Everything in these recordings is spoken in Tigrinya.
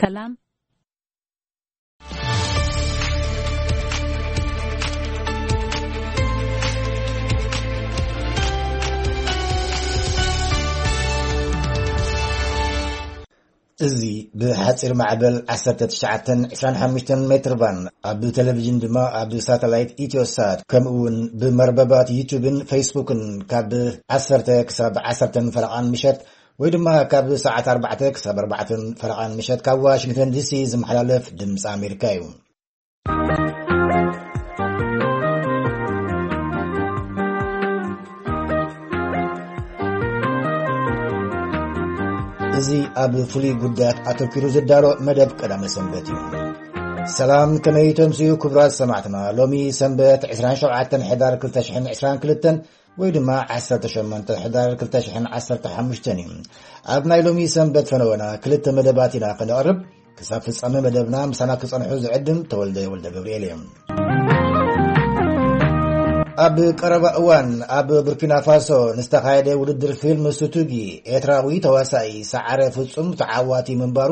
ሰላም። እዚ ብሓጺር ማዕበል ዓሰርተ ትሽዓተ ዕስራን ሓሙሽተን ሜትር ባንድ፣ ኣብ ቴሌቪዥን ድማ ኣብ ሳተላይት ኢትዮሳት፣ ከምኡ እውን ብመርበባት ዩቱብን ፌስቡክን ካብ ዓሰርተ ክሳብ ዓሰርተን ፈረቓን ምሸት፣ ወይ ድማ ካብ ሰዓት ኣርባዕተ ክሳብ ኣርባዕተን ፈረቓን ምሸት ካብ ዋሽንግተን ዲሲ ዝመሓላለፍ ድምፂ ኣሜሪካ እዩ። እዚ ኣብ ፍሉይ ጉዳያት ኣተኲሩ ዝዳሎ መደብ ቀዳመ ሰንበት እዩ። ሰላም፣ ከመይ ተምስዩ ክቡራት ሰማዕትና? ሎሚ ሰንበት ዕስራን ሸውዓተን ሕዳር ክልተ ሽሕን ዕስራን ክልተን ወይ ድማ ዓሰርተ ሸሞንተ ሕዳር ክልተ ሽሕን ዓሰርተ ሓሙሽተን እዩ። ኣብ ናይ ሎሚ ሰንበት ፈነወና ክልተ መደባት ኢና ከነቕርብ። ክሳብ ፍጻመ መደብና ምሳና ክጸንሑ ዝዕድም ተወልደ ወልደ ገብርኤል እዮም። ኣብ ቀረባ እዋን ኣብ ቡርኪና ፋሶ ንዝተኻየደ ውድድር ፊልም ሱቱጊ ኤርትራዊ ተዋሳኢ ሰዓረ ፍጹም ተዓዋቲ ምንባሩ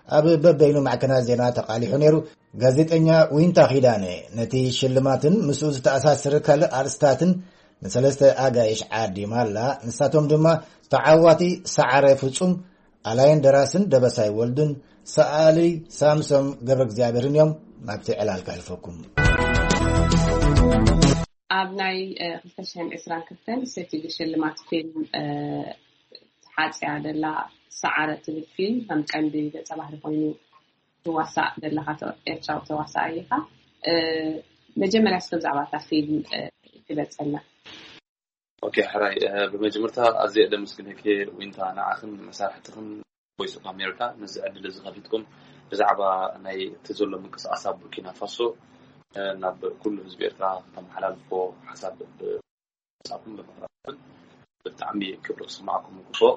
ኣብ በበይኑ ማዕከናት ዜና ተቓሊሑ ነይሩ። ጋዜጠኛ ዊንታ ኪዳነ ነቲ ሽልማትን ምስኡ ዝተኣሳሰረ ካልእ ኣርእስታትን ንሰለስተ ኣጋይሽ ዓዲማ ኣላ። ንሳቶም ድማ ተዓዋቲ ሰዓረ ፍጹም፣ ኣላይን ደራስን ደበሳይ ወልዱን፣ ሰኣሊ ሳምሶም ገብረ እግዚኣብሔርን እዮም። ናብቲ ዕላል ከሕልፈኩም። ኣብ ናይ እ፣ ክልተ ሽሕን ዕስራን ክልተን ሰቲዲ ሽልማት ፊልም እ፣ ተሓጽያ ዘላ ሰዓረ ትብል ፊልም ከም ቀንዲ ገጸ ባህሪ ኮይኑ ትዋሳእ ዘለኻ ተ- ኤርትራዊ ተዋሳኣይ ኢኻ። እ፣ መጀመርያ እስከ ብዛዕባ እታ ፊልም እ፣ ግለጸልና። ኦኬ፣ ሕራይ፣ እ፣ ብመጀመርታ ኣዝየ ደመስግነኪ ዊንታ፣ ንዓኽን ንመሳርሕትኽን ቮይስ ኦፍ ኣሜሪካ ነዚ ዕድል እዚ ከፊትኩም ብዛዕባ ናይ እቲ ዘሎ ምንቅስቃስ ኣብ ቡርኪና ፋሶ እ፣ ናብ ኩሉ ህዝቢ ኤርትራ ከተመሓላልፎ ሓሳብ ብ- ሓሳብኩም ብምቕራብን ብጣዕሚ ክብሪ ክስማዕኩም ይግብኦ።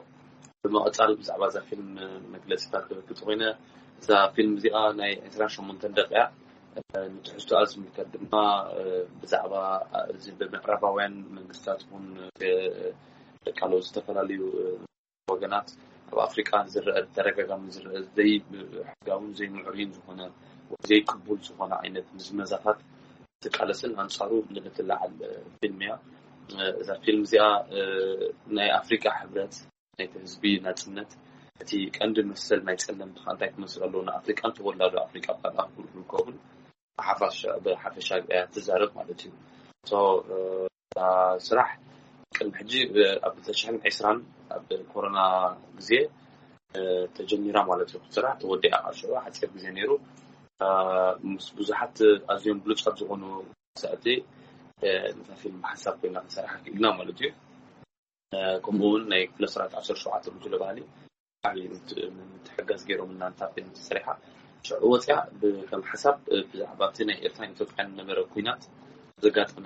ብምቕጻል ብዛዕባ እዛ ፊልም መግለጺታት ክህበኪ እንተኾይነ፣ እዛ ፊልም እዚኣ ናይ ዕስራን ሸሞንተን ደቂቃ እያ። ንትሕዝቶኣ ዝምልከት ድማ ብዛዕባ እዚ ብምዕራባውያን መንግስታት እውን ካልኦት ዝተፈላለዩ ወገናት ኣብ ኣፍሪቃ ዝረአ፣ ብተደጋጋሚ ዝረአ ዘይሕጋውን ዘይምዕሩይን ዝኾነ ወይ ዘይቅቡል ዝኾነ ዓይነት ምዝመዛታት ትቃለስን ኣንጻሩ ንእትለዓል ፊልም እያ። እዛ ፊልም እዚኣ ናይ ኣፍሪቃ ሕብረት፣ ናይቲ ህዝቢ ናጽነት፣ እቲ ቀንዲ መሰል ናይ ጸለምቲ ከኣ እንታይ ክመስል ኣለዎ፣ ንኣፍሪቃን ተወላዶ ኣፍሪቃ ኣብ ኣህጉር ዝርከቡን ብሓፋሽ- ብሓፈሻ እያ ትዛረብ ማለት እዩ። So፣ እ፣ እታ ስራሕ ቅድሚ ሕጂ ብ- ኣብ ክልተ ሽሕን ዕስራን ኣብ ኮሮና ግዜ እ፣ ተጀሚራ ማለት እዩ። ስራሕ ተወዲኣ ከዓ ሽዑ ሓፂር ግዜ ነይሩ። እ፣ ምስ ብዙሓት ኣዝዮም ብሉፃት ዝኾኑ ሰእቲ እ፣ ነታ ፊልም ሓሳብ ኮይና ክንሰርሓ ክኢልና ማለት እዩ። እ፣ ከምኡ እውን ናይ ክፍለ ስርዓት ዓሰርተ ሸውዓተ ጉጅለ ባህሊ ዓብዪ ምት- ምትሕጋዝ ገይሮም እናንታ ፊልም ተሰሪሓ ሽዑ ወፅያ ብ- ከም ሓሳብ እ፣ ብዛዕባ እቲ ናይ ኤርትራን ኢትዮጵያን ነበረ ኩናት ዘጋጠመ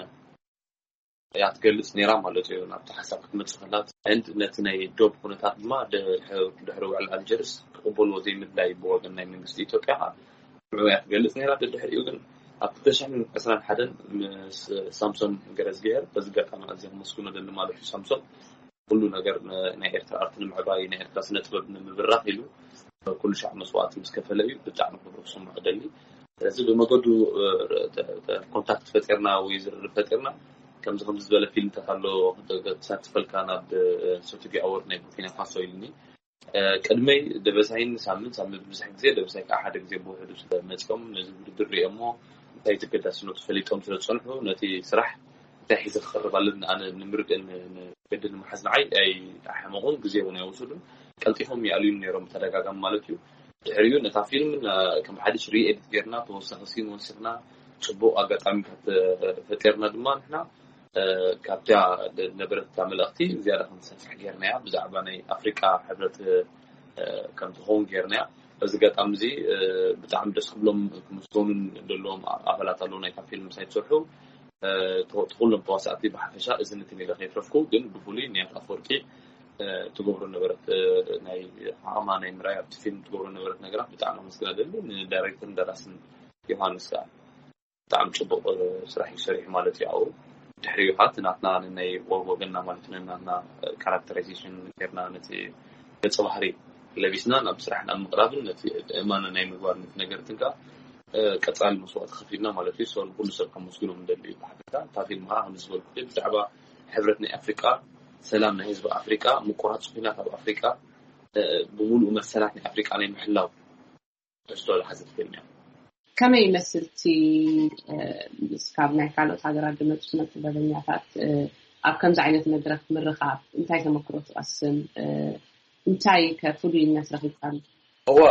እያ ትገልጽ ነይራ ማለት እዩ። ናብቲ ሓሳብ ክትመጽእ ከላ፣ ህንድ ነቲ ናይ ዶብ ኩነታት ድማ ድሕሪ ድሕሪ ውዕል ኣልጀርስ ክቕበልዎ ዘይምድላይ ብወገን ናይ መንግስቲ ኢትዮጵያ ከዓ ንዕኡ እያ ትገልጽ ነይራ። ደድሕሪኡ ግን ኣብ ክልተ ሽሕን ዕስራን ሓደን ምስ ሳምሶም ገረዝግሄር፣ በዚ ኣጋጣሚ ኣዝየ ከመስግኖ ደሊ ማለት እዩ። ሳምሶም ኩሉ ነገር ን- ናይ ኤርትራ ኣርት ንምዕባይ፣ ናይ ኤርትራ ስነ ጥበብ ንምብራኽ ኢሉ ኩሉ ሻዕ መስዋእቲ ምስ ከፈለ እዩ። ብጣዕሚ ክብሪ ክስምዖ ደሊ። ስለዚ ብመገዱ እ፣ ተ- ተ- ኮንታክት ፈጢርና ወይ ዝርርብ ፈጢርና፣ ከምዚ ከምዚ ዝበለ ፊልምታት ኣሎ፣ ተሳትፈልካ ናብ እ፣ ሶቱጊ ኣወርድ ናይ ቡርኪና ፋሶ ኢልኒ። እ፣ ቅድመይ ደበሳይን ሳምን ሳምን ብዙሕ ግዜ፣ ደበሳይ ከዓ ሓደ ግዜ ብውሕዱ ስለ መፅኦም ነዚ ውድድር ሪኦሞ እንታይ እቲ ኣገዳስነቱ ፈሊጦም ስለ ዝፀንሑ፣ ነቲ ስራሕ እንታይ ሒዘ ክቐርብ ኣለኒ ኣነ ንምርድእ ን- ን- ቅዲ ንምሓዝ ንዓይ ኣይሓመቑን፣ ግዜ እውን ኣይወሰዱን። ቀልጢፎም ይኣልዩኒ ነይሮም ብተደጋጋሚ ማለት እዩ። ድሕሪኡ ነታ ፊልም ና- ከም ሓድሽ ሪኤዲት ጌርና፣ ተወሳኺ ሲን ወሲኽና፣ ፅቡቕ ኣጋጣሚታት እ፣ ፈጢርና ድማ ንሕና እ፣ ካብታ ደ- ነበረት እታ መልእኽቲ ዝያዳ ከም ትሰፍሕ ጌርናያ። ብዛዕባ ናይ ኣፍሪቃ ሕብረት እ፣ ከም ትኸውን ጌርናያ። በዚ ኣጋጣሚ እዚ እ፣ ብጣዕሚ ደስ ክብሎም ክምስገኑን ዘለዎም ኣባላት ኣለዉ ናይታ ፊልም ምሳይ ትሰርሑ። እ፣ ተ- ኩሎም ተዋሳእቲ ብሓፈሻ እዚ ነቲ ሜዳ ከይትረፍኩ፣ ግን ብፍሉይ ንያት ኣፈወርቂ እ፣ ትገብሮ ነበረት እ፣ ናይ ዓቕማ ናይ ምርኣይ ኣብቲ ፊልም ትገብሮ ነበረት ነገራት ብጣዕሚ ኣመስግና ደሊ። ንዳይሬክተርን ደራስን ዮሃንስ ከዓ ብጣዕሚ ጽቡቕ እ፣ ስራሕ እዩ ሰሪሑ ማለት እዩ። ኣብኡ ድሕሪኡ ከዓ እቲ ናትና ናይ ወ- ወገንና ማለት እዩ፣ ናትና እ፣ ካራክተራይዜሽን ጌርና ነቲ ገጸ ባህሪ ለቢስና ናብ ስራሕ ናብ ምቕራብን ነቲ እማነ ናይ ምግባር ነቲ ነገር ትንካ ቀጻሊ መስዋእቲ ከፊልና ማለት እዩ። ሰው ኩሉ ሰብ ከመስግኖም እንደሊ እዩ። ብሓፈሻ እታ ፊልም ከዓ ከም ዝበልኩ ብዛዕባ ሕብረት ናይ ኣፍሪቃ፣ ሰላም ናይ ህዝቢ ኣፍሪቃ፣ ምቁራፅ ኩናት ኣብ ኣፍሪቃ፣ ብሙሉእ መሰላት ናይ ኣፍሪቃ ናይ ምሕላው ተስቶ ዝሓዘት ፊልም እያ። ከመይ ይመስል እቲ እስካብ ናይ ካልኦት ሃገራት ዝመፁ ስነ ጥበበኛታት ኣብ ከምዚ ዓይነት መድረክ ምርኻብ እንታይ ተመክሮ ትቐስም? እንታይ ከ ፍሉይነት ረኺብካሉ? እዋ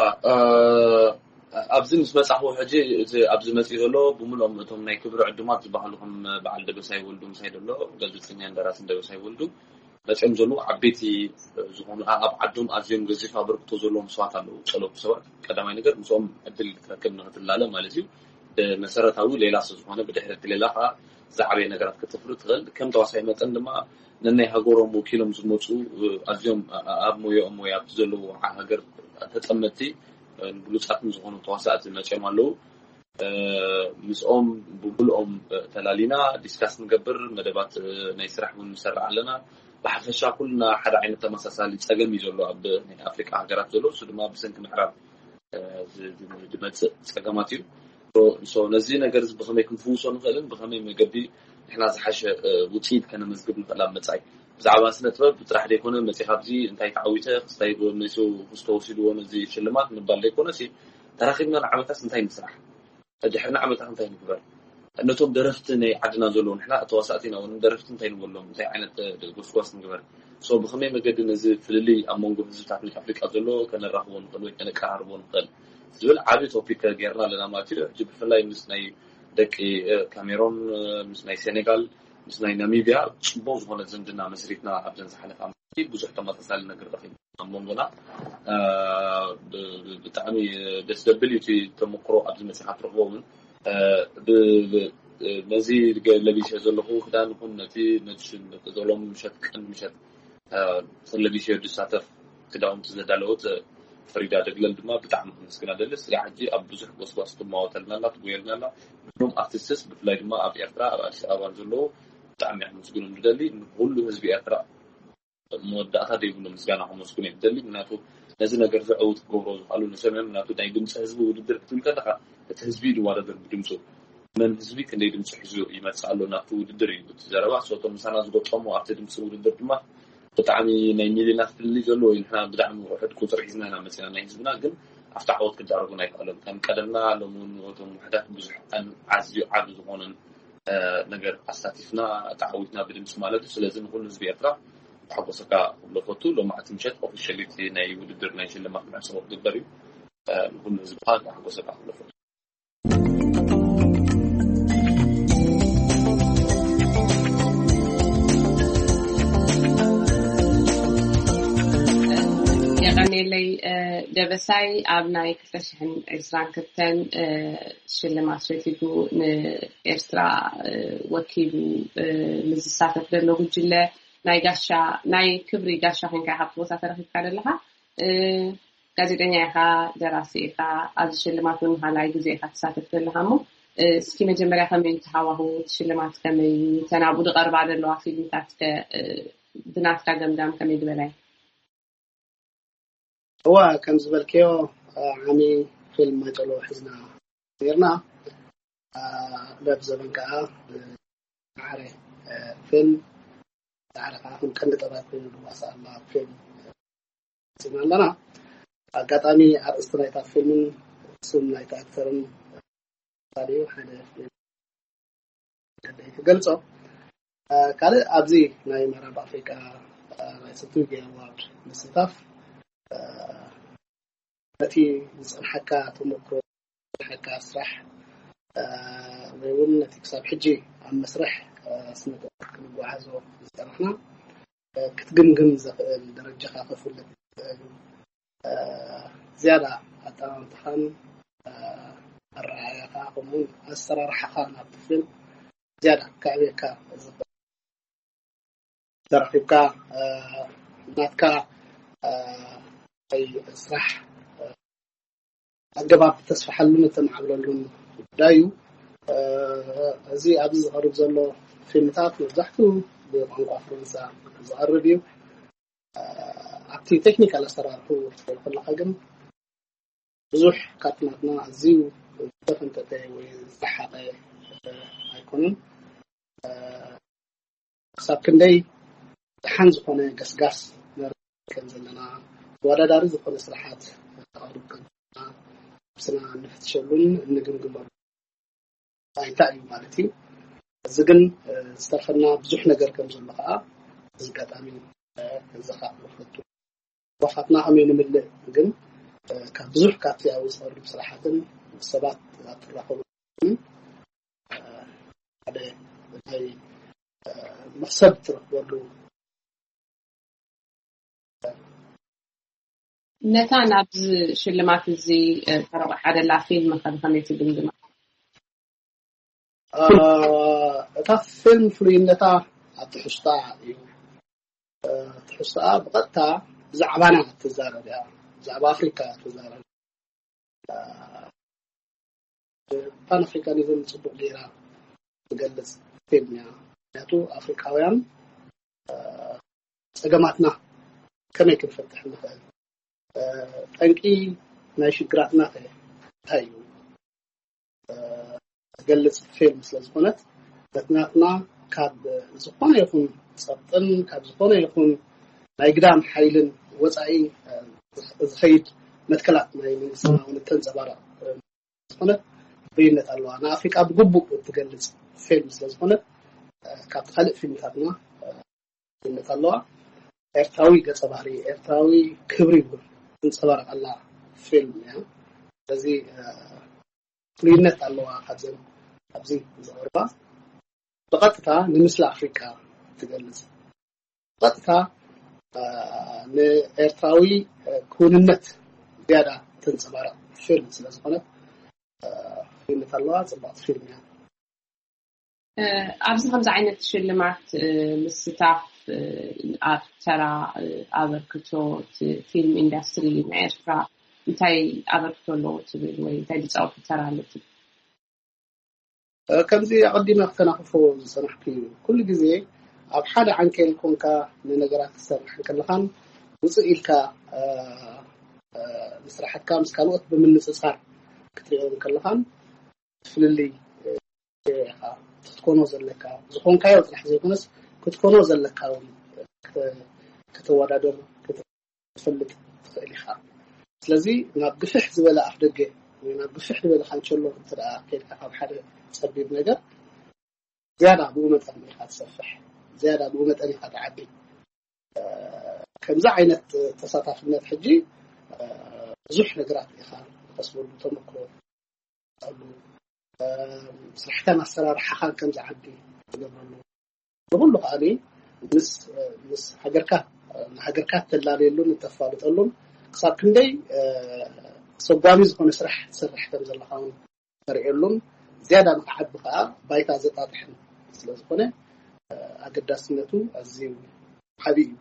ኣብዚ ምስ መጻኹ ሕጂ እቲ ኣብዚ መጺኡ ዘሎ ብምሎም እቶም ናይ ክብሪ ዕዱማት ዝበሃሉ ከም በዓል ደበሳይ ወልዱ ምሳይ ዘሎ ጋዜጠኛ እንደራሲ ደበሳይ ወልዱ መጺኦም ዘለዉ ዓበይቲ ዝኾኑ ኣብ ዓዶም ኣዝዮም ገዚፍ ኣበርክቶ ዘለዎም ሰባት ኣለዉ። ጸለውቲ ሰባት ቀዳማይ ነገር ምስኦም ዕድል ክትረክብ ንክትላለ ማለት እዩ። መሰረታዊ ሌላ ስለ ዝኾነ ብድሕሪ እቲ ሌላ ከዓ ዝዓበየ ነገራት ከተፍሪ ትኽእል። ከም ተዋሳኢ መጠን ድማ ነናይ ሃገሮም ወኪሎም ዝመፁ ኣዝዮም ኣብ ሞያኦም ወይ ኣብቲ ዘለዎ ሃገር ተጠመቲ ብሉፃትን ዝኾኑ ተዋሳእቲ መፅኦም ኣለዉ። ምስኦም ብብልኦም ተላሊና ዲስካስ ንገብር፣ መደባት ናይ ስራሕ እውን ንሰርዕ ኣለና። ብሓፈሻ ኩልና ሓደ ዓይነት ተመሳሳሊ ፀገም እዩ ዘሎ ኣብ ናይ ኣፍሪቃ ሃገራት ዘሎ፣ እሱ ድማ ብሰንኪ ምዕራብ ዝመፅእ ፀገማት እዩ። ነዚ ነገር እዚ ብከመይ ክንፍውሶ ንኽእልን ብከመይ መገዲ ንሕና ዝሓሸ ውፅኢት ከነመዝግብ ንኽእል ኣብ መፃኢ ብዛዕባ ስነ ጥበብ ጥራሕ ዘይኮነ መፂኻ ኣብዚ እንታይ ተዓዊተ ክስታይ መሱ ክስተወሲድዎ ነዚ ሽልማት ምባል ዘይኮነ ተራኪብና ንዓመታስ እንታይ ንስራሕ፣ ድሕሪ ንዓመታት እንታይ ንግበር፣ ነቶም ደረፍቲ ናይ ዓድና ዘለዉ ንሕና ተዋሳእቲ ኢና ደረፍቲ እንታይ ንበሎም፣ እንታይ ዓይነት ጎስጓስ ንግበር፣ ሶ ብኸመይ መገዲ ነዚ ፍልልይ ኣብ መንጎ ህዝብታት ናይ ኣፍሪቃ ዘሎ ከነራኽቦ ንኽእል ወይ ከነቀራርቦ ንኽእል ዝብል ዓብዪ ቶፒክ ጌርና ኣለና ማለት እዩ። ሕጂ ብፍላይ ምስ ናይ ደቂ ካሜሮን፣ ምስ ናይ ሴኔጋል፣ ምስ ናይ ናሚቢያ ፅቡቅ ዝኾነ ዝምድና መስሪትና ኣብዘን ዝሓለፋ ብዙሕ ተመሳሳሊ ነገር ረኺብና ኣብ መንጎና ብጣዕሚ ደስ ዘብል እዩ እቲ ተመክሮ ኣብዚ መፅኻ ትረኽቦ እውን ነዚ ለቢሰ ዘለኹ ክዳን ይኹን ነቲ ነቲ ሎም ምሸት ቀን ምሸት ለቢሰ ዝሳተፍ ክዳውንቲ ዘዳለወት ፈሪዳ ደግለል ድማ ብጣዕሚ ክምስግና ደሊ። ስጋ ሕጂ ኣብ ብዙሕ ጎስጓስ ትማወተልና ኣላ ትጎየልና ኣላ። ብሎም ኣርቲስትስ ብፍላይ ድማ ኣብ ኤርትራ ኣብ ኣዲስ ኣበባ ዘለዉ ብጣዕሚ ክምስግኖም ዝደሊ ንኩሉ ህዝቢ ኤርትራ መወዳእታ ዘይብሉ ምስጋና ከመስግኖ ይደሊ። ምክንያቱ ነዚ ነገር ዘዕውት ክገብሮ ዝኽኣሉ ንሰምዕም ምክንያቱ ናይ ድምፂ ህዝቢ ውድድር ክትብል ከለካ እቲ ህዝቢ እዩ ዝወዳደር ብድምፁ መን ህዝቢ ክንደይ ድምፂ ሒዙ ይመፅእ ኣሎ ናብቲ ውድድር እዩ እቲ ዘረባ። ሶቶም ምሳና ዝገጠሙ ኣብቲ ድምፂ ውድድር ድማ ብጣዕሚ ናይ ሚሊዮናት ፍልልይ ዘለዎ እዩ። ንሕና ብጣዕሚ ውሕድ ቁፅሪ ሒዝና ኢና መፂና ናይ ህዝብና ግን ኣብቲ ዓወት ክዳረጉ ኣይክኣሎም ከም ቀደምና ሎም እቶም ውሕዳት ብዙሕ ኣዝዩ ዓብ ዝኾነን ነገር ኣሳቲፍና ተዓዊትና ብድምፂ ማለት እዩ። ስለዚ ንኩሉ ህዝቢ ኤርትራ ተሓጎሰካ ክብሎ ፈቱ። ሎማዕቲ ምሸት ኦፊሻሊቲ ናይ ውድድር ናይ ሽልማት መዕፅቦ ክግበር እዩ። ንኩሉ ህዝብካ ተሓጎሰካ ክብሎ ፈቱ። የቀኔለይ ደበሳይ ኣብ ናይ ክልተ ሽሕን ዕስራን ክልተን ሽልማት ሸቲቱ ንኤርትራ ወኪሉ ንዝሳተፍ ዘሎ ጉጅለ ናይ ጋሻ ናይ ክብሪ ጋሻ ኮንካ ኢኻ ኣብቲ ቦታ ተረኪብካ ዘለኻ። ጋዜጠኛ ኢኻ፣ ደራሲ ኢኻ፣ ኣብዚ ሽልማት እውን ንኻልኣይ ግዜ ኢኻ ትሳተፍ ዘለኻ እሞ እስኪ መጀመርያ ከመይ እዩ እቲ ሃዋህው፣ እቲ ሽልማት ከመይ እዩ፣ እተን ኣብኡ ዝቐርባ ዘለዋ ፊልምታት ከ ብናትካ ገምጋም ከመይ ዝበላ እዩ? እዋ ከም ዝበልክዮ ዓሚ ፊልም ማጨሎ ሒዝና ነርና ረብ ዘበን ከዓ ብማዕረ ፊልም ዳዕረ ከዓ ከም ቀንዲ ጠባት ኮይኑ ዝዋሳእ ኣላ ፊልም ፂና ኣለና። ኣጋጣሚ ኣርእስቲ ናይታ ፊልምን ስም ናይቲ ኣክተርን ሓደ ሓደ ክገልፆ ካልእ ኣብዚ ናይ ምዕራብ ኣፍሪቃ ናይ ስቱዲዮ ኣዋርድ ምስታፍ ነቲ ዝፀንሓካ ተመክሮ ዝፀንሓካ ስራሕ ወይ እውን ነቲ ክሳብ ሕጂ ኣብ መስርሕ ስነጥበብ ክንጓዓዞ ዝፀናሕና ክትግምግም ዘኽእል ደረጃኻ ከፍልጥ ዝኽእል ዝያዳ ኣጠማምታኻን ኣረኣእያኻ ከምኡውን ኣሰራርሓኻ ናብቲ ፊልም ዝያዳ ከዕብየካ ዝኽእል ተረኺብካ ናትካ ናይ ስራሕ ኣገባብ ተስፋሓሉን እተማዕብለሉን ጉዳይ እዩ። እዚ ኣብዚ ዝቐርብ ዘሎ ፊልምታት መብዛሕትኡ ብቋንቋ ፈረንሳ ዝቐርብ እዩ። ኣብ እቲ ቴክኒካል ኣሰራርሑ ክትሪኦ ከለካ ግን ብዙሕ ካብቲ ናትና ኣዝዩ ዝተፈንጠጠ ወይ ዝረሓቐ ኣይኮነን። ክሳብ ክንደይ ደሓን ዝኾነ ገስጋስ ከም ዘለና፣ ተወዳዳሪ ዝኾነ ስራሓት ከቕርብ ከም ዘለና፣ ነብስና እንፍትሸሉን እንግምግመሉ እንታይ እዩ ማለት እዩ። እዚ ግን ዝተርፈና ብዙሕ ነገር ከም ዘሎ ከዓ እዚ ኣጋጣሚ ዘኻኽር ፈቱ። ዋፋትና ከመይ ንምልእ ግን ካብ ብዙሕ ካብቲ ኣብ ዝቐርብ ስራሓትን ሰባት ኣብ ትራኸቡ ሓደ ናይ መክሰብ ትረክበሉ። ነታ ናብዚ ሽልማት እዚ ተረቑሓ ደላ ፊልም ከ ብኸመይ ትግምግማ? እታ ፊልም ፍሉይነታ ኣብ ትሕዝቶኣ እዩ። ትሕዝቶኣ ብቐጥታ ብዛዕባና ትዛረብ እያ፣ ብዛዕባ ኣፍሪካ ትዛረብ። ፓን ኣፍሪካኒዝም ፅቡቅ ገይራ ትገልፅ ፊልም እያ። ምክንያቱ ኣፍሪካውያን ፀገማትና ከመይ ክንፈትሕ ንኽእል፣ ጠንቂ ናይ ሽግራትና ከ እንታይ እዩ ዝገልፅ ፊልም ስለዝኾነት፣ በትናትና ካብ ዝኾነ ይኹን ፀቕጥን ካብ ዝኾነ ይኹን ናይ ግዳም ሓይልን ወፃኢ ዝኸይድ መትከላት ናይ መንግስትና እውን እተንፀባረቕ ዝኾነት ፍሉይነት ኣለዋ። ንኣፍሪቃ ብግቡእ እትገልፅ ፊልም ስለዝኾነት ካብቲ ካልእ ፊልምታትና ፍሉይነት ኣለዋ። ኤርትራዊ ገፀ ባህሪ፣ ኤርትራዊ ክብሪ እውን ትንፀባረቐላ ፊልም እያ። ስለዚ ፍሉይነት ኣለዋ። ካብዘን ኣብዚ ዝቐርባ ብቐጥታ ንምስሊ ኣፍሪቃ ትገልፅ፣ ብቐጥታ ንኤርትራዊ ክውንነት ዝያዳ ተንፀባረቕ ፊልም ስለዝኾነት ፍሉይነት ኣለዋ። ፅብቕቲ ፊልም እያ። ኣብዚ ከምዚ ዓይነት ሽልማት ምስታፍ ኣብ ተራ ኣበርክቶ ፊልም ኢንዳስትሪ ናይ ኤርትራ እንታይ ኣበርክቶ ኣለዎ ትብል ወይ እንታይ ዝፃወቱ ተራ ኣሎ ትብል? ከምዚ ኣቐዲመ ክተናኽፎ ዝፀናሕኩ እዩ። ኩሉ ግዜ ኣብ ሓደ ዓንኬል ኮንካ ንነገራት ክትሰርሕ እንከለኻን ውፅእ ኢልካ ንስራሕትካ ምስ ካልኦት ብምንፅፃር ክትሪኦ እንከለኻን ፍልልይ ኢኻ ክትኮኖ ዘለካ፣ ዝኾንካዮ ጥራሕ ዘይኮነስ ክትኮኖ ዘለካ እውን ከተወዳደር ክትፈልጥ ትኽእል ኢኻ። ስለዚ ናብ ግፍሕ ዝበለ ኣፍ ደገ ወይ ናብ ግፍሕ ዝበለ ካንቸሎ እንተ ደኣ ከይድካ ካብ ሓደ ጸቢብ ነገር ዝያዳ ብኡ መጠን ኢኻ ትሰፍሕ፣ ዝያዳ ብኡ መጠን ኢኻ ትዓቢ። ከምዚ ዓይነት ተሳታፍነት ሕጂ ብዙሕ ነገራት ኢኻ ትቐስመሉ፣ ተመክሮ ትቐስመሉ፣ ስራሕካን ኣሰራርሓኻን ከም ዝዓቢ ትገብረሉ። ንኹሉ ከኣ ምስ ምስ ሃገርካ ንሃገርካ እተላለየሉን እተፋልጠሉን ክሳብ ክንደይ ኣሰጓሚ ዝኾነ ስራሕ ትሰርሕ ከም ዘለኻ እውን ተርእየሉን ዝያዳ ንክዓቢ ከኣ ባይታ ዘጣጥሕን ስለ ዝኾነ ኣገዳስነቱ ኣዝዩ ዓቢ እዩ።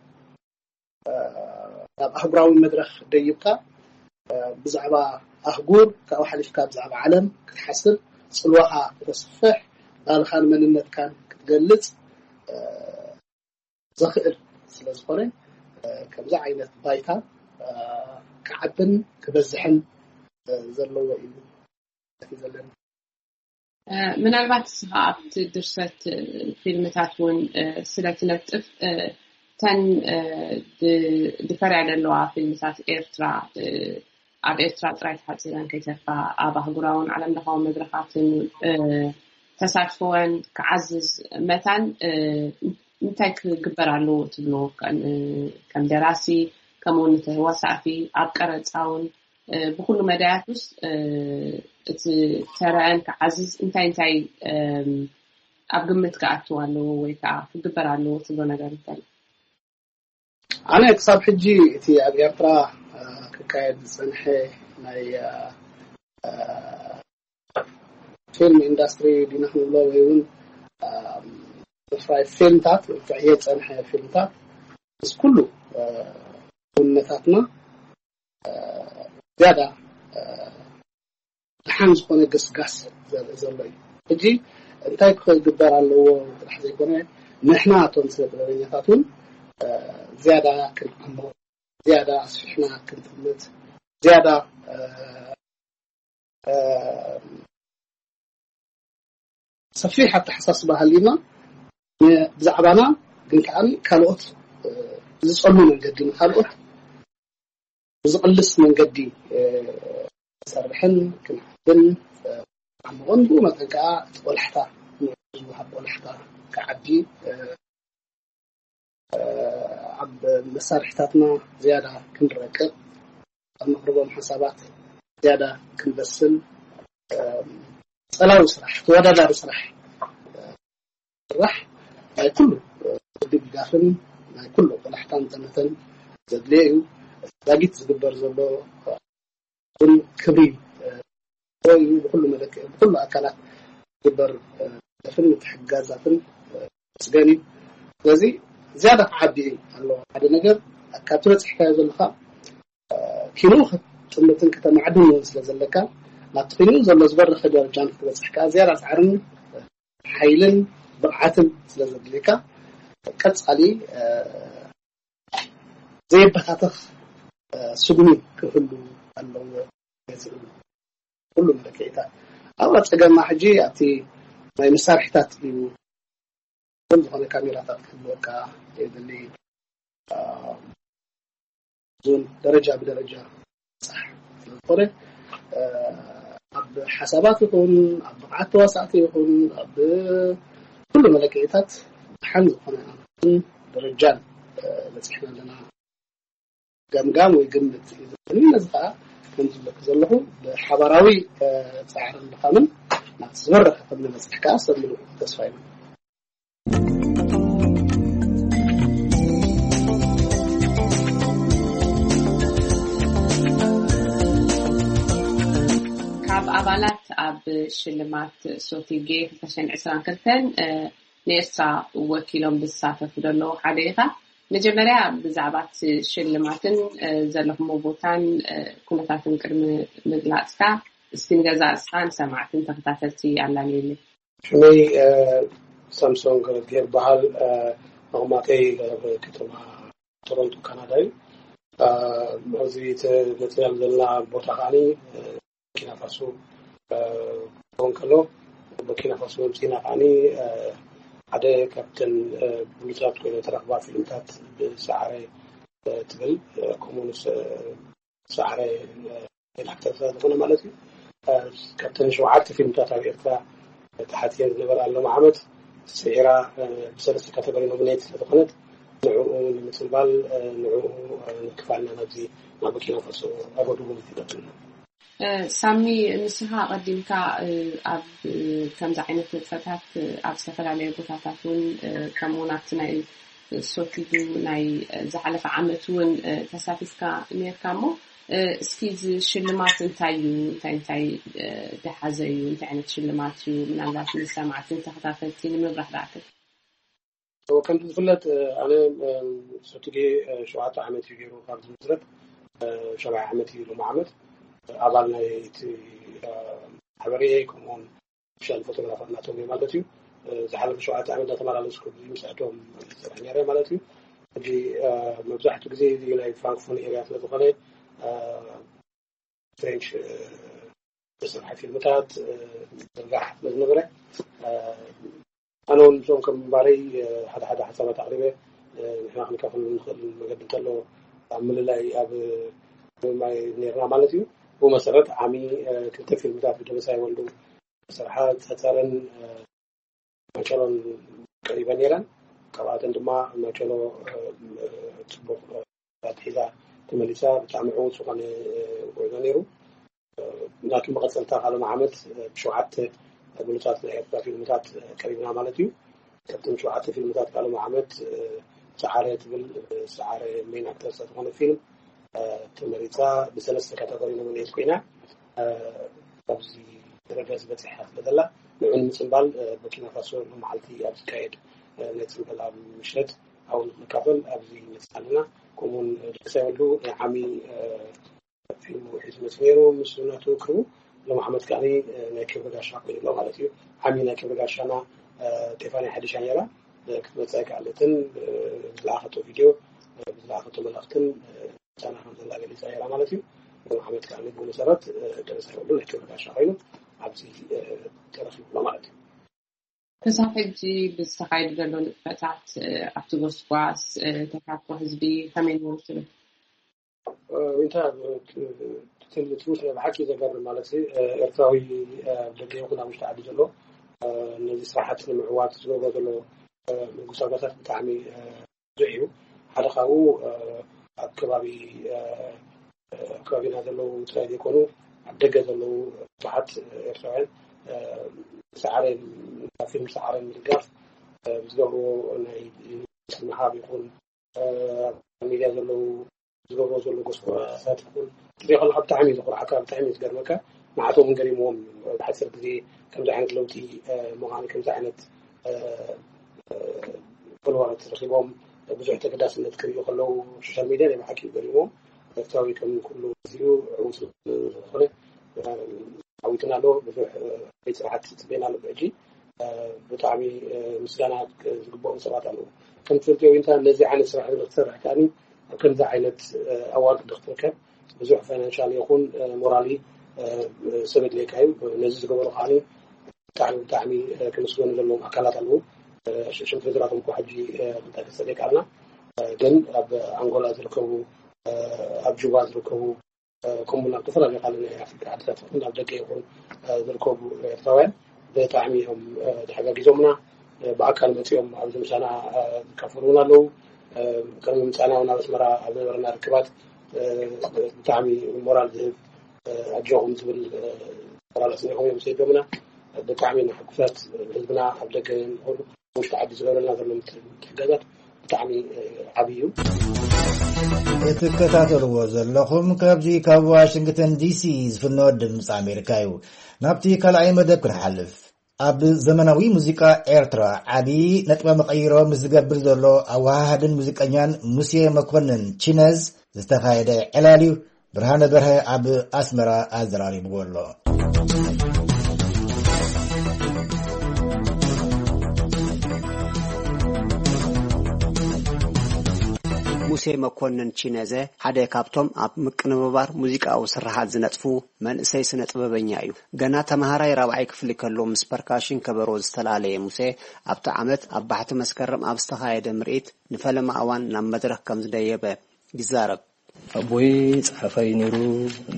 ናብ ኣህጉራዊ መድረኽ ደይብካ ብዛዕባ ኣህጉር ካብኡ ሓሊፍካ ብዛዕባ ዓለም ክትሓስብ፣ ፅልዋኻ ክተስፍሕ፣ ባህልኻን መንነትካን ክትገልፅ ዘኽእል ስለ ዝኾነ ከምዚ ዓይነት ባይታ ክዓብን ክበዝሕን ዘለዎ እዩ ዘለና። ምናልባት እስኻ ኣብቲ ድርሰት ፊልምታት እውን ስለ ትነጥፍ እተን ድፈርያ ዘለዋ ፊልምታት ኤርትራ ኣብ ኤርትራ ጥራይ ተሓፂረን ከይተርፋ ኣብ ኣህጉራውን ዓለም ለኻዊ መድረኻትን ተሳትፎወን ክዓዝዝ መታን እንታይ ክግበር ኣለዎ ትብሉ? ከም ደራሲ ከምኡ እውን ተዋሳእቲ ኣብ ቀረፃውን ብኩሉ መዳያት ውስጥ እቲ ተረአን ክዓዝዝ እንታይ እንታይ ኣብ ግምት ክኣትው ኣለዎ ወይ ከዓ ክግበር ኣለዎ ትብሎ ነገር እንታይ? ኣነ ክሳብ ሕጂ እቲ ኣብ ኤርትራ ክካየድ ዝፀንሐ ናይ ፊልም ኢንዳስትሪ ዲና ክንብሎ ወይ እውን ምፍራይ ፊልምታት ክዕየ ዝፀንሐ ፊልምታት ምስ ኩሉ ውነታትና ዝያዳ ድሓን ዝኾነ ገስጋስ ዘርኢ ዘሎ እዩ። ሕጂ እንታይ ክግበር ኣለዎ ጥራሕ ዘይኮነ ንሕና እቶም ስነ ጥበበኛታት እውን ዝያዳ ክንዓሞ ዝያዳ ኣስፊሕና ክንጥምት፣ ዝያዳ ሰፊሕ ኣተሓሳስባ ሃሊና ብዛዕባና፣ ግን ከዓ ካልኦት ዝፀሉ መንገዲ፣ ንካልኦት ብዝቕልስ መንገዲ ክሰርሕን ክንሓትን ዓምቕን፣ ብኡ መጠን ከዓ እቲ ቆላሕታ፣ ዝወሃብ ቆላሕታ ክዓቢ፣ ኣብ መሳርሕታትና ዝያዳ ክንረቅቕ፣ ኣብ መቕርቦም ሓሳባት ዝያዳ ክንበስል፣ ጸላዊ ስራሕ፣ ተወዳዳሪ ስራሕ ስራሕ ናይ ኩሉ ድጋፍን ናይ ኩሉ ቆላሕታን ዘመተን ዘድልዮ እዩ። ዛጊት ዝግበር ዘሎ ግን ክብሪ እዩ። ብኩሉ መለክዒ፣ ብኩሉ ኣካላት ዝግበር ደፍን ምትሕግጋዛትን መስገን እዩ። ስለዚ ዝያዳ ክዓቢ ኣለዎ። ሓደ ነገር ካብቲ በፂሕካዮ ዘለካ ኪኑ ክትጥምትን ከተማዕድን እውን ስለ ዘለካ፣ ናብቲ ኪኑ ዘሎ ዝበረኸ ደረጃ ንክትበፅሕ ከዓ ዝያዳ ፃዕርን ሓይልን ብቕዓትን ስለ ዘድልየካ፣ ቀፃሊ ዘይበታተኽ ስጉሚ ክህሉ ኣለዎ። ኩሉ መለክዒታት ኣብ ፀገማ ሕጂ ኣብቲ ናይ መሳርሒታት እዩ። ከም ዝኾነ ካሜራታት ክህልወካ የድሊ። ዞን ደረጃ ብደረጃ ፃሕ ስለዝኾነ፣ ኣብ ሓሳባት ይኹን ኣብ ብቕዓት ተዋሳእቲ ይኹን ኣብ ኩሉ መለክዒታት ደሓን ዝኾነ ኣንትን ደረጃን በፂሕና ኣለና። ገምጋም ወይ ግምት እዩ ዘለኒ። ነዚ ከዓ ከም ዝብለኩ ዘለኹ ብሓባራዊ ፃዕርን ድኻምን ናብቲ ዝበረኸ ከም ንበፅሕ ከዓ ሰብ ምሉእ ተስፋ ይብሉ። ካብ ኣባላት ኣብ ሽልማት ሶቲጌ ክልተ ሽሕን ዕስራን ክልተን ንኤርትራ ወኪሎም ዝሳተፉ ዘለዉ ሓደ ኢኻ። መጀመርያ ብዛዕባ እቲ ሽልማትን ዘለኹሞ ቦታን ኩነታትን ቅድሚ ምግላፅካ እስቲ ንገዛእ ርእስኻ ንሰማዕትን ተኸታተልቲ ኣላልየለይ። ሽመይ ሳምሶን ገረዝጊሄር ይበሃል። መቐማጠይ ኣብ ከተማ ቶሮንቶ ካናዳ እዩ። ኣብዚ ተመፅናሉ ዘለና ቦታ ከዓኒ ቡርኪና ፋሶ ክኸውን ከሎ፣ ቡርኪና ፋሶ መምፂና ከዓኒ ሓደ ካብተን ብሉፃት ኮይነ ተረኽባ ፊልምታት ብሰዓረ ትብል፣ ከምኡ ሰዓረ ዳይሬክተር ስለ ዝኾነ ማለት እዩ። ካብተን ሸውዓተ ፊልምታት ኣብ ኤርትራ ተሓትየን ዝነበራ ሎም ዓመት ስዒራ ብሰለስተ ካተጎሪ ኖሚኔት ስለዝኾነት ንዕኡ ንምፅምባል ንዕኡ ንምክፋልና ናብዚ ናብ ቡርኪና ፋሶ ኣገድዎም ይፈትና። ሳሚ፣ ንስኻ ኣቐዲምካ ኣብ ከምዚ ዓይነት ንጥፈታት ኣብ ዝተፈላለዩ ቦታታት እውን ከምኡ እውን ኣብቲ ናይ ሶቲጉ ናይ ዝሓለፈ ዓመት እውን ተሳቲፍካ ነርካ እሞ እስኪ እዚ ሽልማት እንታይ እዩ? እንታይ እንታይ ዝሓዘ እዩ? እንታይ ዓይነት ሽልማት እዩ? ምናልባት ንሰማዕትን ተኸታተልቲ ንምብራህ ደኣ ክል። ከምቲ ዝፍለጥ ኣነ ሶቲጌ ሸውዓተ ዓመት እዩ ገይሩ ካብ ዝምስረት ሻብዓይ ዓመት እዩ ሎሚ ዓመት ኣባል ናይ እቲ ማሕበር እየ። ከምኡውን ኦፊሻል ፎቶግራፈር ናቶም እየ ማለት እዩ። ዝሓለፈ ሸውዓተ ዓመት እናተመላለስኩ ምስኣቶም ዝሰርሕ ነይረ ማለት እዩ። ሕጂ መብዛሕትኡ ግዜ እዚ ናይ ፍራንክፎን ኤርያ ስለዝኾነ ፍሬንች ዝስርሐ ፊልምታት ዝርጋሕ ስለዝነበረ ኣነ እውን ምስኦም ከም ምንባረይ ሓደ ሓደ ሓሳባት ኣቕሪበ ንሕና ክንካፈሉ ንኽእል መገዲ እንተሎ ኣብ ምልላይ ኣብ ምምማይ ነርና ማለት እዩ። ብኡ መሰረት ዓሚ ክልተ ፊልምታት ብደበሳይ ወልዱ ዝሰርሓ ጸጸርን ማጨሎን ቀሪበን ነይረን። ካብኣተን ድማ ማጨሎ ፅቡቕ ኣትሒዛ ተመሊሳ ብጣዕሚ ዕዉት ዝኾነ ጉዕዞ ነይሩ። ናቱ መቐፀልታ ካልኦም ዓመት ብሸውዓተ ብሉፃት ናይ ኤርትራ ፊልምታት ቀሪብና ማለት እዩ። ካብቶም ሸውዓተ ፊልምታት ካልኦም ዓመት ሰዓረ ትብል ሰዓረ ሜን ኣክተር ዝኾነ ፊልም ተመሪፃ ብሰለስተ ካተጎሪ ኖሚኔት ኮይና ኣብዚ ደረጃ ዝበፅሐ ስለ ዘላ ንዑ ንምፅምባል ቡርኪና ፋሶ መዓልቲ ኣብ ዝካየድ ናይ ፅምበላ ምሸት ኣብኡ ንክንካፈል ኣብዚ ንመፅእ ኣለና። ከምኡውን ደሳይ ወልዱ ናይ ዓሚ ፊልሙ ሒዙ መፅኡ ነይሩ ምስ ናቱ ክርቡ ሎም ዓመት ከዓ ናይ ክብሪ ጋሻ ኮይኑ ኣሎ ማለት እዩ። ዓሚ ናይ ክብሪ ጋሻና ቴፋኒ ሓዲሻ ነይራ ክትመፅእ ኣይከኣለትን። ብዝለኣኸቶ ቪድዮ ብዝለኣኸቶ መልእክትን ቻና ከም ዘላ ገሊፃ ነይራ ማለት እዩ። ሩብ ዓመት ከዓ ንግቡ መሰረት ደረሰ ወልዱ ናይ ክብሪ ጋሻ ኮይኑ ኣብዚ ተረኪቡ ኣሎ ማለት እዩ። ክሳብ ሕጂ ብዝተኻየዱ ዘሎ ንጥፈታት ኣብቲ ጎስጓስ ተሳትፎ ህዝቢ ከመይ ነይሩ ትብል? ዊንታ ትውስ ናይ ብሓቂ ዘገርም ማለት እዩ። ኤርትራዊ ደገ ይኹን ኣብ ውሽጢ ዓዲ ዘሎ ነዚ ስራሓት ንምዕዋት ዝገብሮ ዘሎ ምጉሳጓሳት ብጣዕሚ ብዙሕ እዩ። ሓደ ካብኡ ኣብ ከባቢ ኣብ ከባቢና ዘለዉ ጥራይ ዘይኮኑ ኣብ ደገ ዘለዉ ብዙሓት ኤርትራውያን ሰዓረ ፊልም ሰዓረ ምድጋፍ ዝገብርዎ ናይ ስምሃብ ይኹን ሚድያ ዘለዉ ዝገብሮ ዘሎ ጎስጓሳት ይኹን እዚ ከለካ ብጣዕሚ እዩ ዝኩርዓካ፣ ብጣዕሚ እዩ ዝገርመካ። ንዓቶም ገሪምዎም እዩ። ብሓፂር ግዜ ከምዚ ዓይነት ለውጢ ምዃን ከምዚ ዓይነት ፎሎወራት ረኪቦም ብዙሕ ተገዳስነት ክርእዩ ከለዉ ሶሻል ሚድያ ናይ ብሓቂ እዩ ገሪምዎም። ኤርትራዊ ከም ኩሉ ግዚኡ ዕውት ዝኾነ ዓዊትና ኣሎ። ብዙሕ ቤት ስራሓት ፅበና ኣሎ። ብሕጂ ብጣዕሚ ምስጋና ዝግብኦም ሰባት ኣለዉ። ከም ትፈልጥዮ ዊንታ ነዚ ዓይነት ስራሕ እዚ ክትሰርሕ ከኣ ኣብ ከምዚ ዓይነት ኣዋርድ ክትርከብ ብዙሕ ፋይናንሻል ይኹን ሞራሊ ሰብ የድልየካ እዩ። ነዚ ዝገበሩ ከዓ ብጣዕሚ ብጣዕሚ ክምስገኑ ዘለዎም ኣካላት ኣለዉ። ሽም ዝርዝራቶም እኳ ሕጂ ክንጠቅስ ዘይከኣልና ግን ኣብ ኣንጎላ ዝርከቡ ኣብ ጁባ ዝርከቡ ከምኡ ናብ ዝተፈላለዩ ካልእ ናይ ኣፍሪካ ዓድታት ይኹን ኣብ ደገ ይኹን ዝርከቡ ኤርትራውያን ብጣዕሚ እዮም ተሓጋጊዞምና። ብኣካል መፂኦም ኣብዚ ምሳና ዝካፈሉ እውን ኣለዉ። ከም ምምፃና እውን ኣብ ኣስመራ ኣብ ዝነበረና ርክባት ብጣዕሚ ሞራል ዝህብ ኣጆኹም ዝብል ሞራል ኣስኒቖም እዮም ሰይዶምና። ብጣዕሚ ንሕጉሳት ህዝብና ኣብ ደገ ንኹሉ ውሽጢ ዓዲ ዝገብረልና ዘሎ ምትሕጋዛት ብጣዕሚ ዓብዪ እዩ። እትከታተልዎ ዘለኹም ካብዚ ካብ ዋሽንግተን ዲሲ ዝፍኖ ድምፂ ኣሜሪካ እዩ። ናብቲ ካልኣይ መደብ ክንሓልፍ። ኣብ ዘመናዊ ሙዚቃ ኤርትራ ዓቢ ነጥበ መቐይሮ ምስ ዝገብር ዘሎ ኣወሃሃድን ሙዚቀኛን ሙሴ መኮንን ቺነዝ ዝተኻየደ ዕላል እዩ። ብርሃነ በርሀ ኣብ ኣስመራ ኣዘራሪብዎ ኣሎ። ሙሴ መኮንን ቺነዘ ሓደ ካብቶም ኣብ ምቅንብባር ሙዚቃዊ ስርሓት ዝነጥፉ መንእሰይ ስነ ጥበበኛ እዩ። ገና ተምሃራይ ራብዓይ ክፍሊ ከሎ ምስ ፐርካሽን ከበሮ ዝተላለየ ሙሴ ኣብቲ ዓመት ኣብ ባሕቲ መስከረም ኣብ ዝተኻየደ ምርኢት ንፈለማ እዋን ናብ መድረኽ ከም ዝደየበ ይዛረብ። ኣቦይ ጸሓፋይ ነይሩ፣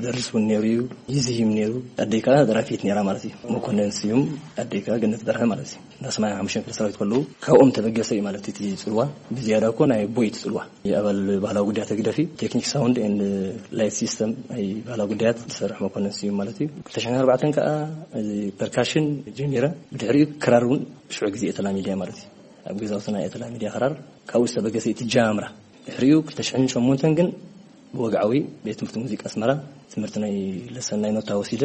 ደርስ እውን ነይሩ እዩ፣ ይዝሂም ነይሩ። ኣደይ ከዓ ደራፊት ነይራ ማለት እዩ። መኮነን ስዩም ኣደይ ከዓ ገነት በርሀ ማለት እዩ። እንዳ ሰማንያ ሓሙሽተ ክፍለ ሰራዊት ከለዉ ካብኦም ተበገሰ እዩ ማለት እቲ ጽልዋ። ብዝያዳ እኮ ናይ ኣቦይ እቲ ጽልዋ። ኣባል ባህላዊ ጉዳያት ህግደፍ እዩ። ቴክኒክ ሳውንድ ኤንድ ላይት ሲስተም ናይ ባህላዊ ጉዳያት ዝሰርሕ መኮነን ስዩም ማለት እዩ። ክልተ ሽሕን ኣርባዕተን ከዓ እዚ ፐርካሽን ጀሚረ። ብድሕሪኡ ክራር እውን ሽዑ ግዜ እየ ተላሚደ ማለት እዩ። ኣብ ገዛውትና እየ ተላሚደ ክራር። ካብኡ ዝተበገሰ እቲ ጃምራ። ድሕሪኡ ክልተ ሽሕን ሸሞንተን ግን ብወግዓዊ ቤት ትምህርቲ ሙዚቃ ኣስመራ ትምህርቲ ናይ ለሰን ናይ ኖታ ወሲደ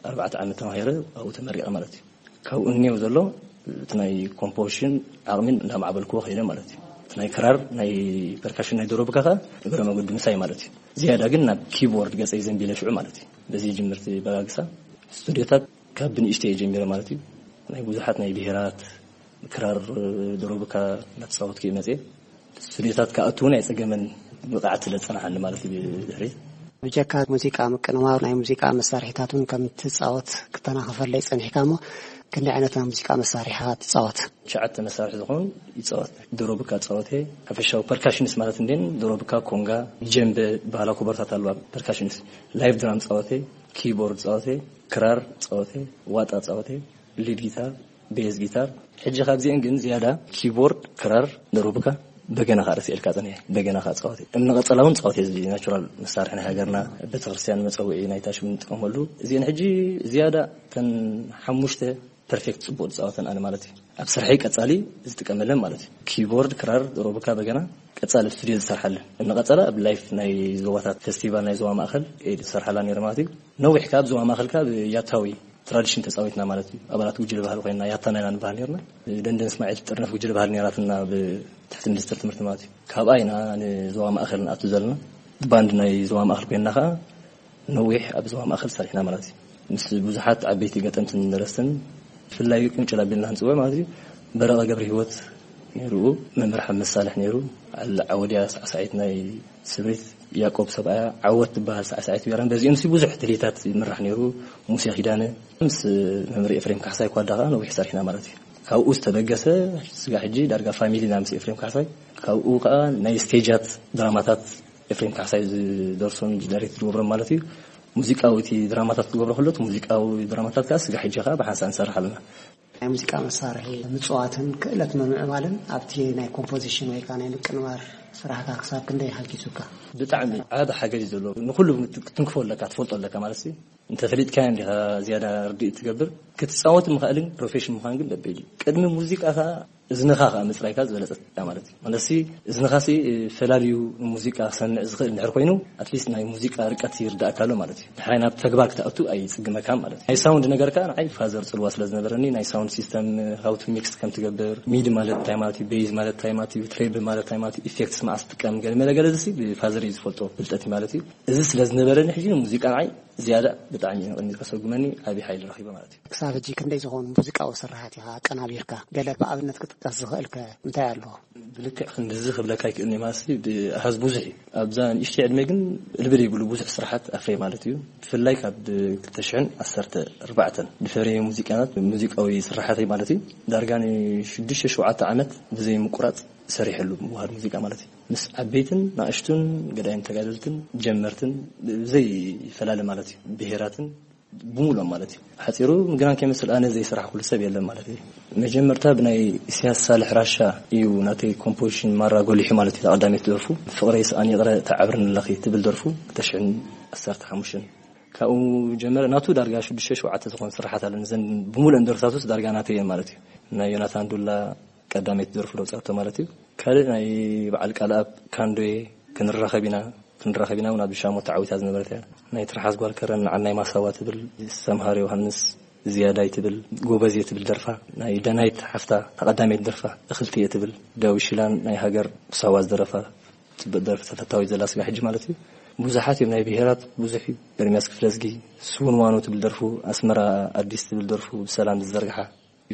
ኣርባዕተ ዓመት ተማሂረ ኣብኡ ተመሪቐ ማለት እዩ። ካብኡ እኒው ዘሎ እቲ ናይ ኮምፖዚሽን ዓቕሚን እንዳማዕበልክዎ ከይደ ማለት እዩ። እቲ ናይ ክራር ናይ ፐርካሽን ናይ ዶሮብካ ከዓ እግረ መገዲ ምሳይ ማለት እዩ። ዝያዳ ግን ናብ ኪቦርድ ገፀይ ዘንቢለ ሽዑ ማለት እዩ። በዚ ጅምርቲ በጋግሳ ስቱዲዮታት ካብ ብንእሽተይ እየ ጀሚረ ማለት እዩ። ናይ ብዙሓት ናይ ብሄራት ክራር ዶሮብካ እናተፃወትኩ እየ መፅየ። ስቱዲዮታት ክኣቱ እውን ኣይፀገመን፣ ብቕዓት ስለ ዝፀናሓኒ ማለት እዩ። ብድሕሪት ብጀካ ሙዚቃ ምቅንባር ናይ ሙዚቃ መሳርሒታት እውን ከም ትፃወት ክተናኸፈለይ ፀኒሕካ እሞ ክንደይ ዓይነት ናይ ሙዚቃ መሳርሒኻ ትፃወት? ትሽዓተ መሳርሒ ዝኾኑ ይፃወት። ዶሮብካ ፃወተ፣ ሓፈሻዊ ፐርካሽንስ ማለት እንዴን ዶሮብካ፣ ኮንጋ፣ ጀምበ፣ ባህላዊ ኮቦርታት ኣለዋ ፐርካሽንስ፣ ላይፍ ድራም ፃወተ፣ ኪቦርድ ፃወተ፣ ክራር ፃወተ፣ ዋጣ ፃወተ፣ ሊድ ጊታር፣ ቤዝ ጊታር። ሕጂ ካብዚአን ግን ዝያዳ ኪቦርድ፣ ክራር፣ ደሩብካ፣ በገና ከዓ ረሲኤልካ ፀኒሐ። በገና ከዓ ፃወት እምኒ ቀፀላ እውን ፃወት እዚ ናቹራል መሳርሒ ናይ ሃገርና ቤተክርስትያን መፀውዒ ናይ ታሽም ንጥቀመሉ። እዚአን ሕጂ ዝያዳ ተን ሓሙሽተ ፐርፌክት ፅቡቅ ዝፃወተን ኣነ ማለት እዩ። ኣብ ስርሐይ ቀፃሊ ዝጥቀመለን ማለት እዩ። ኪቦርድ፣ ክራር፣ ደሩብካ፣ በገና ቀፃሊ ኣብ ስቱዲዮ ዝሰርሓለን እምኒ ቀፀላ ኣብ ላይፍ ናይ ዞባታት ፌስቲቫል ናይ ዞባ ማእከል ዝሰርሓላ ነይረ ማለት እዩ። ነዊሕ ካብ ዞባ ማእከል ካብ ያታዊ ትራዲሽን ተፃዊትና ማለት እዩ። ኣባላት ጉጅለ ባህሊ ኮይና ያታና ኢና ንበሃል ነርና። ደንደን እስማዒል ጥርነፍ ጉጅለ ባህሊ ነራትና ብትሕቲ ሚኒስትር ትምህርቲ ማለት እዩ። ካብኣ ኢና ንዞባ ማእከል ንኣቱ ዘለና። ባንድ ናይ ዞባ ማእከል ኮይና ከዓ ነዊሕ ኣብ ዞባ ማእከል ሰሪሕና ማለት እዩ። ምስ ብዙሓት ዓበይቲ ገጠምትን ደረስትን ብፍላይ ቅንጭል ኣቢልና ክንፅውዕ ማለት እዩ። በረቐ ገብረ ህይወት ነይሩ፣ መምህር ሓመድ ሳልሕ ነይሩ፣ ዓወድያ ሳዕሳዒት ናይ ስብሪት ያዕቆብ ሰብኣያ፣ ዓወት ትበሃል ሳዕሳዒት ቢራን በዚኦም ሲ ብዙሕ ትልሂታት ይምራሕ ነይሩ። ሙሴ ኪዳነ ምስ መምህር ኤፍሬም ካሕሳይ ኳዳ ከዓ ነዊሕ ሰሪሕና ማለት እዩ። ካብኡ ዝተበገሰ ስጋ ሕጂ ዳርጋ ፋሚሊና ምስ ኤፍሬም ካሕሳይ። ካብኡ ከዓ ናይ ስቴጃት ድራማታት ኤፍሬም ካሕሳይ ዝደርሶም ዳይሬክት ዝገብሮም ማለት እዩ። ሙዚቃዊ እቲ ድራማታት ክገብሮ ከሎ እቲ ሙዚቃዊ ድራማታት ከዓ ስጋ ሕጂ ከዓ ብሓንሳእ ንሰርሕ ኣለና። ናይ ሙዚቃ መሳርሒ ምፅዋትን ክእለት ምምዕባልን ኣብቲ ናይ ኮምፖዚሽን ወይ ከዓ ናይ ምቅንባር ስራሕካ ክሳብ ክንደይ ሓጊዙካ? ብጣዕሚ ዓቢ ሓገዝ እዩ ዘለዎ። ንኩሉ ክትንክፎ ኣለካ፣ ትፈልጦ ኣለካ ማለት እዩ። እንተፈሊጥካዮ እንዲኻ ዝያዳ ርድኢት ትገብር። ክትፃወት ምኽኣልን ፕሮፌሽን ምዃን ግን ደበይል እዩ። ቅድሚ ሙዚቃ ከዓ እዝንኻ ከዓ ምፅራይካ ዝበለፀት እያ ማለት እዩ። ማለትሲ እዝንኻሲ ፈላልዩ ሙዚቃ ክሰምዕ ዝኽእል እንድሕር ኮይኑ ኣትሊስት ናይ ሙዚቃ ርቀት ይርዳእካ ኣሎ ማለት እዩ። ድሕራይ ናብ ተግባር ክትኣቱ ኣይፅግመካ ማለት እዩ። ናይ ሳውንድ ነገር ከዓ ንዓይ ፋዘር ፅልዋ ስለ ዝነበረኒ ናይ ሳውንድ ሲስተም ሃውቱ ሚክስ ከም ትገብር፣ ሚድ ማለት እንታይ ማለት እዩ፣ ቤዝ ማለት እንታይ ማለት እዩ፣ ትሬብል ማለት እንታይ ማለት እዩ፣ ኢፌክትስ መዓስ ትጥቀም፣ ገለ መለ ገለ ዝሲ ብፋዘር እዩ ዝፈልጦ ፍልጠት ማለት እዩ። እዚ ስለ ዝነበረኒ ሕጂ ንሙዚቃ ንዓይ ዝያዳ ብጣዕሚ እዩ ንቕድሚት ከሰጉመኒ ዓብዪ ሓይሊ ረኺበ ማለት እዩ። ክሳብ ሕጂ ክንደይ ዝኾኑ ሙዚቃዊ ስራሓት ኢኻ ኣቀናቢርካ? ገለ ብኣብነት ክጥቀስ ዝኽእልከ እንታይ ኣሎ? ብልክዕ ክንድዚ ክብለካ ኣይክእልን እየ ማለት እዩ። ብኣሃዝ ብዙሕ እዩ። ኣብዛ ንእሽተይ ዕድመ ግን ልብል ይብሉ ብዙሕ ስራሓት ኣፍረየ ማለት እዩ። ብፍላይ ካብ ክልተ ሽሕን ዓሰርተ ኣርባዕተን ዝፈረየ ሙዚቃታት፣ ሙዚቃዊ ስራሓተይ ማለት እዩ። ዳርጋ ንሽዱሽተ ሸውዓተ ዓመት ብዘይ ምቁራፅ ሰሪሐሉ ምውሃድ ሙዚቃ ማለት እዩ። ምስ ዓበይትን ንኣሽቱን ገዳይም ተጋደልትን ጀመርትን ብዘይ ፈላለ ማለት እዩ። ብሄራትን ብምሉኦም ማለት እዩ። ሓፂሩ ምግናን ከይመስል ኣነ ዘይስራሕ ኩሉ ሰብ የለን ማለት እዩ። መጀመርታ ብናይ ኢሳያስ ሳልሕ ራሻ እዩ ናተይ ኮምፖዚሽን ማራ ጎሊሑ ማለት እዩ። ተቐዳሚት ደርፉ ፍቕረይ ስኣን ይቕረ ተዓብርን ኣለኺ ትብል ደርፉ ክልተ ሽሕን ዓሰርተ ሓሙሽተን ካብኡ ጀመረ። ናቱ ዳርጋ ሽዱሽተ ሸውዓተ ዝኾኑ ስራሓት ኣለኒ። እዘን ብምሉእን ደርፍታቱስ ዳርጋ ናተይ እየን ማለት እዩ። ናይ ዮናታን ዱላ ቀዳመይቲ ደርፉ ለውፃቶ ማለት እዩ። ካልእ ናይ በዓል ቃልኣብ ካንዶዬ ክንራኸብ ኢና፣ ክንራኸብ ኢና እውን ኣብ ሻሞ ተዓዊታ ዝነበረት እያ። ናይ ትርሓስ ጓል ከረን ንዓናይ ማሳዋ ትብል፣ ሰምሃር ዮሃንስ ዝያዳይ ትብል፣ ጎበዝ እየ ትብል ደርፋ፣ ናይ ደናይት ሓፍታ ተቐዳመይቲ ደርፋ እኽልቲ እየ ትብል፣ ዳዊት ሽላን ናይ ሃገር ሳዋ ዝደረፋ ጽብቅ ደርፊ ተፈታዊ ዘላ ስጋ ሕጂ ማለት እዩ። ብዙሓት እዮም ናይ ብሄራት ብዙሕ እዩ። ኤርሚያስ ክፍለዝጊ ስውን ዋኑ ትብል ደርፉ ኣስመራ ኣዲስ ትብል ደርፉ ብሰላም ዝዘርግሓ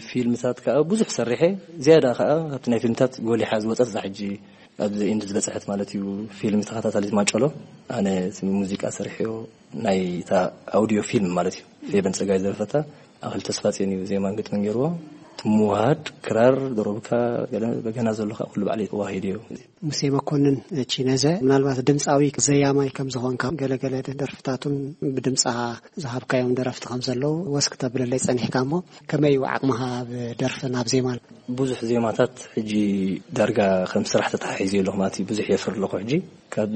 ፊልምታት ከዓ ብዙሕ ሰሪሐ። ዝያዳ ከዓ ኣብቲ ናይ ፊልምታት ጎሊሓ ዝወፀት እዛ ሕጂ ኣብዚ ኢንድ ዝበፅሐት ማለት እዩ። ፊልም ተኸታታሊት ማጨሎ ኣነ እቲ ሙዚቃ ሰሪሐዮ ናይ እታ ኣውዲዮ ፊልም ማለት እዩ። ፌበን ፀጋይ ዝደረፈታ ኣኽል ተስፋፅዮን እዩ ዜማን ግጥምን ገይርዎ። እቲ ምውሃድ ክራር ደሮብካ ገለ በገና ዘሎ ከዓ ኩሉ ባዕለይ ተዋሂድዮ። ሙሴ መኮንን ቺነዘ፣ ምናልባት ድምፃዊ ዘያማይ ከም ዝኾንካ ገለገለ ደርፍታቱን ብድምፃ ዝሃብካዮም ደረፍቲ ከም ዘለዉ ወስክ ተብለለይ ጸኒሕካ እሞ ከመይ እዩ ዓቕምኻ ኣብ ደርፍን ኣብ ዜማን? ብዙሕ ዜማታት ሕጂ ዳርጋ ከም ስራሕ ተተሓሒዙ ኣለኹ ማለት እዩ። ብዙሕ የፍር ኣለኹ ሕጂ። ካብ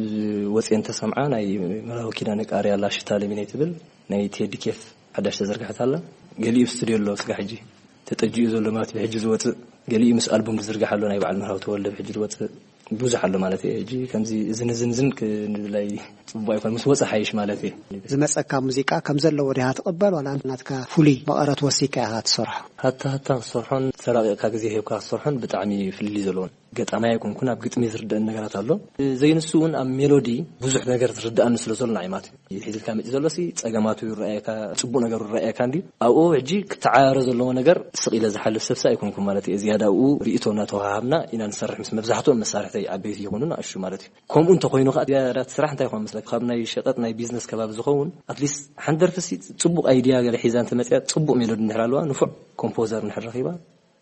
ወፅየ እንተሰምዓ ናይ መራዊ ኪዳነ ቃርያ ላሽታ ለሚነይ ትብል ናይ ቴዲ ኬፍ ሓዳሽ ተዘርግሐት ኣላ። ገሊኡ ኣብ ስቱድዮ ኣሎ ስጋ ሕጂ ተጠጂኡ ዘሎ ማለት ብሕጂ ዝወፅእ፣ ገሊኡ ምስ ኣልቡም ዝዝርጋሕ ኣሎ ናይ በዓል መርሃዊ ተወልደ ብሕጂ ዝወፅእ ብዙሕ ኣሎ ማለት እየ። ሕጂ ከምዚ እዝን እዝን እዝን ክንብላይ ፅቡቅ ኣይኮን፣ ምስ ወፀ ሓይሽ ማለት እየ። ዝመፀካ ሙዚቃ ከም ዘለዎ ዲኻ ትቕበል ዋላ ናትካ ፍሉይ መቐረት ወሲካ ኢኻ ትሰርሖ? ሃታ ሃታ ክሰርሖን ተራቂቕካ ግዜ ሂብካ ክሰርሖን ብጣዕሚ ፍልልይ ዘለዎን። ገጣማይ ኣይኮንኩን፣ ኣብ ግጥሚ ዝርደአን ነገራት ኣሎ። ዘይንሱ እውን ኣብ ሜሎዲ ብዙሕ ነገር ዝርደኣኒ ስለ ዘሎ ንዓይ ማለት እዩ። ሒዝልካ መፂ ዘሎ ሲ ፀገማቱ ይረኣየካ፣ ፅቡቅ ነገሩ ይረኣየካ እንዲ ኣብኡ ሕጂ ክተዓራረ ዘለዎ ነገር ስቕ ኢለ ዝሓልፍ ሰብሲ ኣይኮንኩን ማለት እየ። ዝያዳ ኣብኡ ርእቶ እናተወሃሃብና ኢና ንሰርሕ ምስ መብዛሕትኦም መሳርሕተይ ዓበይቲ ይኹኑ ንኣሽቱ ማለት እዩ። ከምኡ እንተኮይኑ ከዓ ዝያዳ እቲ ስራሕ እንታይ ይኾን መስለካ? ካብ ናይ ሸቀጥ ናይ ቢዝነስ ከባቢ ዝኸውን ኣትሊስት ሓንቲ ደርፊ ሲ ፅቡቅ ኣይድያ ገለ ሒዛ እንተመፅያ ፅቡቅ ሜሎዲ እንድሕር ኣለዋ ንፉዕ ኮምፖዘር እንድሕር ረኺባ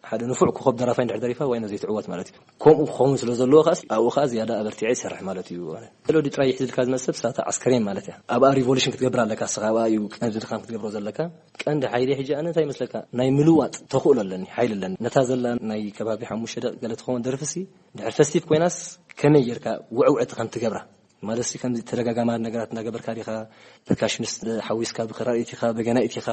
ሓደ ንፉዕ ኮኸብ ደራፋይ እንድሕር ደሪፋ ዋይኖ ዘይትዕወት ማለት እዩ። ከምኡ ክኸውን ስለ ዘለዎ ከኣ ኣብኡ ከኣ ዝያዳ ኣበርቲዐ ይሰርሕ ማለት እዩ። ሜሎዲ ጥራይ ይሕዝልካ ዝመጽእ ሰብ ሳታ ዓስከሬን ማለት እያ። ኣብኣ ሪቮሉሽን ክትገብር ኣለካ፣ ንስኻ ኣብኣ እዩ ቀንዲ ድኻም ክትገብሮ ዘለካ። ቀንዲ ሓይሊ ሕጂ ኣነ እንታይ ይመስለካ? ናይ ምልዋጥ ተኽእሎ ኣለኒ፣ ሓይሊ ኣለኒ። ነታ ዘላ ናይ ከባቢ ሓሙሽተ ደቂቕ ገለ ትኸውን ደርፍሲ፣ ድሕር ፈስቲቭ ኮይናስ ከመይ ጌርካ ውዕውዕቲ ከም ትገብራ፣ ማለትሲ ከምዚ ተደጋጋማት ነገራት እንዳገበርካ ዲኻ፣ ፐርካሽኒስት ሓዊስካ፣ ብክራር ኢቲኻ፣ በገና ኢቲኻ፣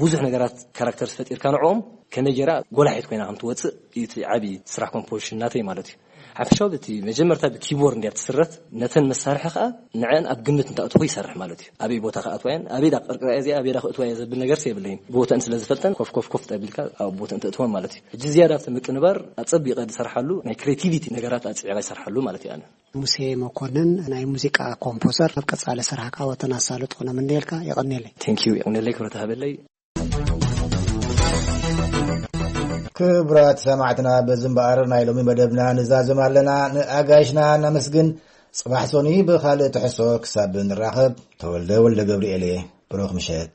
ብዙሕ ነገራት ካራክተርስ ፈጢርካ ንዕኦም ከመይ ጌራ ጎላሒት ኮይና ከም ትወጽእ እዩ እቲ ዓቢ ስራሕ ኮምፖዚሽን ናተይ ማለት እዩ። ሓፈሻዊ እቲ መጀመርታ ብኪቦርድ እንድያ ትስረት፣ ነተን መሳርሒ ከኣ ንዐን ኣብ ግምት እንተእትኹ ይሰርሕ ማለት እዩ። ኣበይ ቦታ ከኣትዋ እየን፣ ኣበይ ዳ ክቅርቅራ እየ እዚኣ፣ ኣበይ ዳ ክእትዋ እየ ዘብል ነገርሲ የብለይን። ቦተን ስለ ዝፈልጠን ኮፍ ኮፍ ኮፍ ጠቢልካ ኣብ ቦተን ተእትወን ማለት እዩ። ሕጂ ዝያዳ ኣብቲ ምቅንባር ኣጸቢቐ ዝሰርሓሉ ናይ ክሬቲቪቲ ነገራት ኣጽዒቐ ይሰርሓሉ ማለት እዩ ኣነ። ሙሴ መኮንን ናይ ሙዚቃ ኮምፖዘር፣ ኣብ ቀጻሊ ስራሕካ ወተን ኣሳልጦ ነምነየልካ። የቐንየለይ። ቴንኪዩ፣ የቐንየለይ፣ ክብረት ሃበለይ። ክቡራት ሰማዕትና፣ በዚ እምበኣር ናይ ሎሚ መደብና ንዛዝም ኣለና። ንኣጋይሽና ነመስግን። ጽባሕ ሶኒ ብኻልእ ትሕሶ ክሳብ ንራኸብ፣ ተወልደ ወልደ ገብርኤል እየ። ብሩኽ ምሸት።